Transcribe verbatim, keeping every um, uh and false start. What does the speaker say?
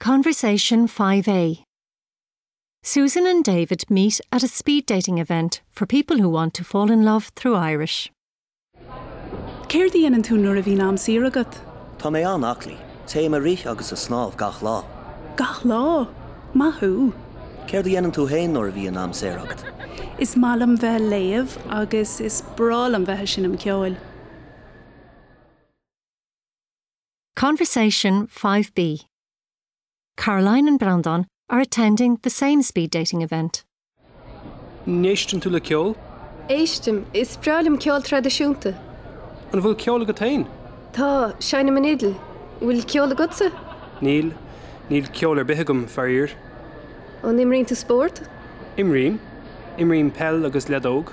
Conversation five A. Susan and David meet at a speed dating event for people who want to fall in love through Irish. Céard a dhéanann tú nuair a bhíonn am saor agat? Tá mé an-aclaí, téim ag rith agus ag snámh gach lá. Gach lá? Maith thú! Céard a dhéanann tú féin nuair a bhíonn am saor agat? Is maith liom bheith ag léamh agus is breá liom bheith ag seinm ceoil. Conversation five B. Caroline and Breandán are attending the same speed dating event. An éisteann tú le ceol? Éistim, is breá liom ceol traidisiúnta. An bhfuil ceol agat féin? Tá, seinnim an fhidil. Bhfuil ceol agatsa? Níl, níl ceol ar bith agam, faraor. An imríonn tú spórt? Imrím. Imrím peil agus leadóg.